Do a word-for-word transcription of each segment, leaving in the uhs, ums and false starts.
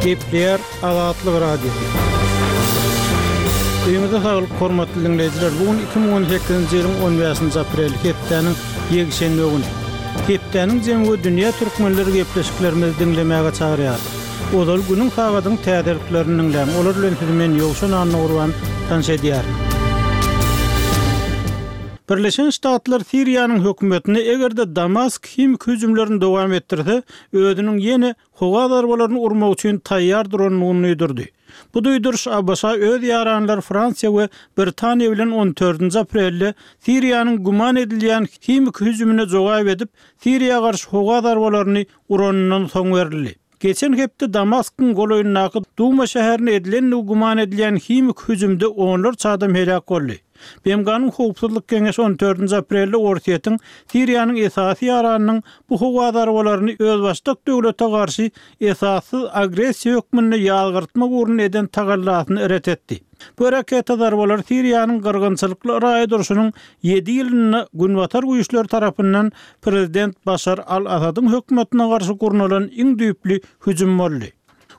Gepleýär Azatlyk Radiosy. Öýüňize saglyk, hormatly diňleýjiler! Bu gün iki müň on sekizinji ýylyň on bäşinji apreli, hepdäniň ýekşenbe güni. Hepdäniň jemi we dünýä türkmenleri gepleşiklerimizi diňlemäge çagyrýarys. Ozal günüň sagadyň täzeliklerini diňläň. Olar bilen sizi men Ýowşan Annagurban tanyş edýärin. Birleşen Ştatlar Siriýanyň hökümetine eger-de Damask himiki hüjümlerini dowam etdirse, özüniň ýene howa zarbalaryny urmak üçin taýýar durandygyny duýdurdy. Bu duýduryş A B Ş öz ýaranlary Fransiýa we Britaniýa bilen on dördünji aprelde Siriýanyň güman edilýän himiki hüjümine jogap edip, Siriýa garşy howa zarbalaryny uranyndan soň berildi. Geçen hepde Damaskyň golaýyndaky Duma şäherine edilendigi güman edilýän himiki hüjümde onlarça adam helak boldy. B M G-nyň Howpsuzlyk Geňeşi on dördünji aprelde Orsýetiň Siriýanyň esasy ýaranynyň bu howa zarbalaryny özbaşdak döwlete garşy esassyz agressiýa hökmünde ýazgyrtmak ugrunda eden tagallasyny ret etdi. Bu raketa zarbalary Siriýanyň gyrgynçylykly raýat urşunyň ýedi ýylynda Günbatar güýçleri tarapyndan prezident Başar al-Asadyň hökümetine garşy gurnalan iň düýpli hüjüm boldy.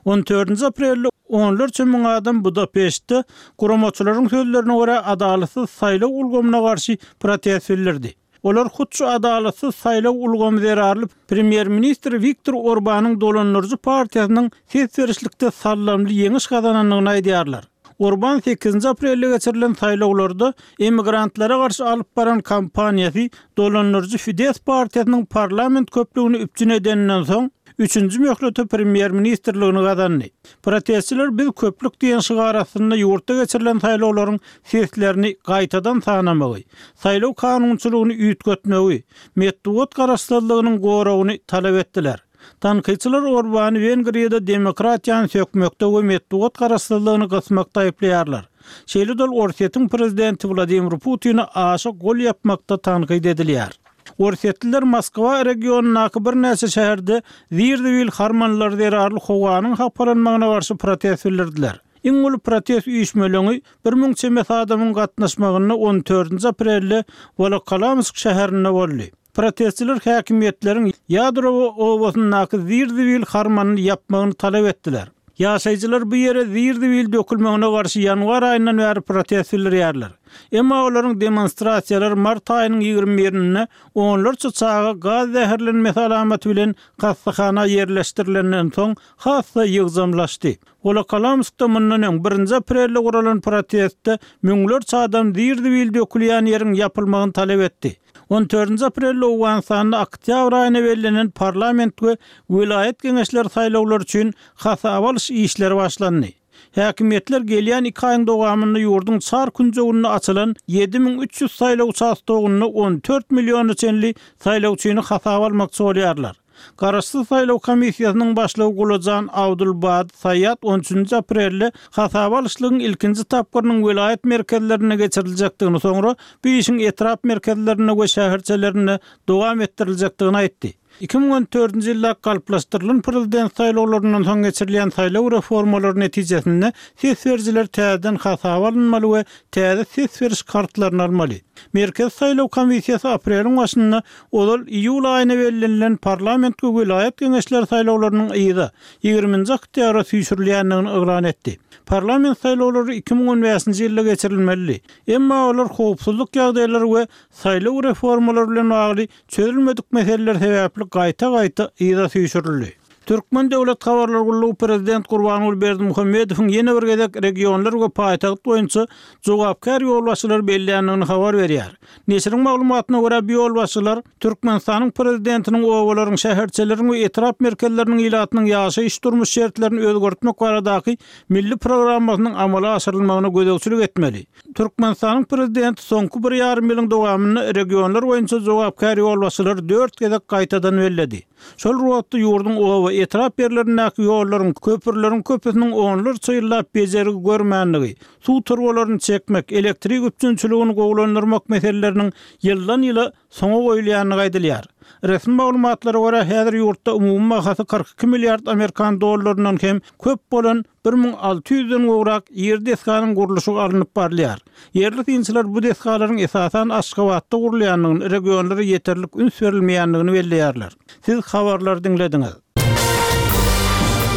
On dördünji aprelde onlarça müň adam Budapeştde guramaçylaryň sözlerine görä adalatsyz saýlaw ulgamyna garşy protest bildirdi. Olar hut şu adalatsyz saýlaw ulgamy zerarly premýer-ministr Viktor Orbanyň dolandyryjy partiýasynyň ses berişlikde sallamly ýeňiş gazanandygyny aýdýarlar. Orban sekizinji aprelde geçirilen saýlawlarda emigrantlara garşy alyp baran kampaniýasy dolandyryjy Fidesz partiýasynyň parlament köplügini üpjün edeninden soň üçünji möhlete premýer-ministrligini gazandy. Protestçiler biz köplük diýen şygar astynda ýurtda geçirilen saýlawlaryň seslerini gaýtadan sanamagy, saýlaw kanunçylygyny üýtgetmegi, metbugat garaşsyzlygynyň goragyny talap etdiler. Tankytçylar Orbany Wengriýada demokratiýany sökmekde we metbugat garaşsyzlygyny gysmakda aýyplaýarlar. Şeýle-de Orsýetiň prezidenti Wladimir Putini aşa gol ýapmakda tankyt edilýär. Orsýetliler Moskwa regionyndaky birnäçe şäherde zir-zibil harmanlar zerarly howanyň hapalanmagyna garşy protest bildirdiler. Iň uly protest üýşmeleňi bir müň çemesi adamyň gatnaşmagynda on dördünji aprelde Wolokolamsk şäherinde boldy. Protestçiler häkimiýetleriň Ýadrowo obasyndaky zir-zibil harmanyny ýapmagyny talap etdiler. Ýaşaýjylar bu ýere zir-zibil dökülmegine garşy ýanwar aýyndan bäri protest bildirýärler. Emma olaryň demonstrasiýalary mart aýynyň ýigrimi birinde onlarça çaga gaz zäherlenmesi alamaty bilen hassahana ýerleşdirilenden soň hassa ýygjamlaşdy. Wolokolamskda mundan öň birinji aprelde guralan protestde müňlerçe adam zir-zibil dökülýän ýeriň ýapylmagyny talap etdi. On dördünji aprelde Owganystanda oktýabr aýyna bellenen parlament we welaýat geňeşleri saýlawlary üçin hasaba alyş işleri başlandy. Häkimiýetler gelýän iki aýyň dowamynda ýurduň çar künjeginde açylan ýedi müň üç ýüz saýlaw uçastogynda on dört milliona çenli saýlawçyny hasaba almakçy bolýarlar. Garaşsyz saýlaw komissiýasynyň başlygy Gulajan Abdulbad Saýat on üçünji aprelde hasaba alyşlygyň ilkinji tapgyrynyň welaýat merkezlerinde geçiriljekdigini, soňra bu işiň etrap merkezlerinde we şäherçelerinde dowam etdiriljekdigini aýtdy. Iki müň on dördünji ýylda galplaşdyrylan prezident saýlawlaryndan soň geçirilýän saýlaw reformalary netijesinde ses berijiler täzeden hasaba alynmaly we täze ses beriş kartlaryny almaly. Merkezi saýlaw komissiýasy apreliň başynda ozal iýul aýyna bellenilen parlament we welaýat geňeşleri saýlawlarynyň yza ýigriminji oktýabra süýşürilýändigini yglan etdi. Parlament saýlawlary iki müň on bäşinji ýylda geçirilmeli. Emma olar howpsuzlyk ýagdaýlary we saýlaw reformalary bilen bagly çözülmedik meseleler sebäpli gaýta-gaýta yza süýşürildi. Türkmen Döwlet Habarlar Gullugy prezident Gurbanguly Berdimuhamedowyň ýene bir gezek regionlar we paýtagt boýunça jogapkär ýolbaşçylary belländigini habar berýär. Neşiriň maglumatyna görä, bu ýolbaşçylar Türkmenistanyň prezidentiniň obalaryň, şäherçeleriň we etrap merkezleriniň ilatynyň ýaşaýyş durmuş şertlerini özgertmek baradaky milli programmasynyň amala aşyrylmagyna gözegçilik etmeli. Türkmenistanyň prezidenti soňky bir ýarym ýylyň dowamynda regionlar boýunça jogapkär ýolbaşçylary dört gezek gaýtadan belledi. Şol wagtda ýurduň oba etrap ýerlerindäki ýollaryň, köprüleriň köpüsiniň onlarça ýyllap bejergi görmänligi, suw turbalaryny çekmek, elektrik üpjünçiligini gowulandyrmak meseleleriniň ýyldan ýyla soňa goýulýandygy aýdylýar. Resmi maglumatlara görä, häzir ýurtda umumy bahasy kyrk iki milliard amerikan dollaryndan hem köp bolan bir müň alty ýüzden gowrak ýer desganyň gurluşygy alnyp barylýar. Ýerli synçylar bu desgalaryň esasan Aşgabatda gurulýandygyny, regionlara ýeterlik üns berilmeýändigini belleýärler. Siz habarlary diňlediňiz.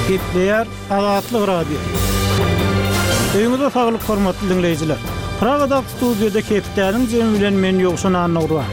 Gepleýär Azatlyk Radiosy. Öýüňize saglyk hormatly diňleýjiler. Pragadaky studiýada hepdäniň jemi bilen men Ýowşan Annagurban.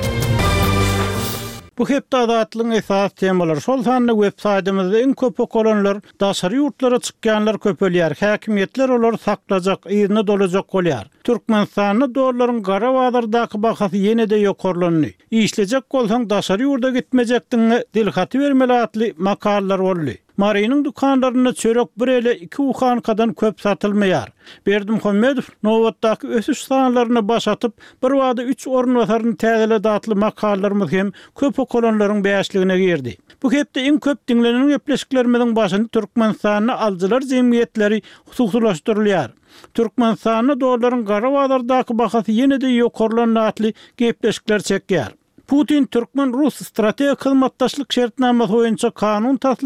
Bu hepde Azatlygyň esasy temalary, şol sanda web saýtymyzda iň köp okalanlar, daşary ýurtlara çykýanlar köpelýär, häkimiýetler olary saklajak, yzyna dolajak bolýar. Türkmenistanda dollaryň gara bazardaky bahasy ýene-de ýokarlandy. Işlejek bolsaň daşary ýurda gitmejekdigiňe dilhaty bermeli atly makalalar boldy. Marynyň dükanlarynda çörek bir ele iki buhankadan köp satylmaýar. Berdimuhamedow nobatdaky ösüş sanlaryna baş atyp, bir bada üç orunbasaryny täzeledi atly makalalarymyz hem köp okalanlaryň bäşligine girdi. Bu hepde iň köp diňlenen gepleşiklerimiziň başyny Türkmenistanda alyjylar jemgyýetleri hususylaşdyrylýar. Türkmenistanda dollaryň gara bazardaky bahasy ýene-de ýokarlandy atly gepleşikler çekýär. Putin türkmen-rus strategik hyzmatdaşlyk şertnamasy boýunça kanun tasla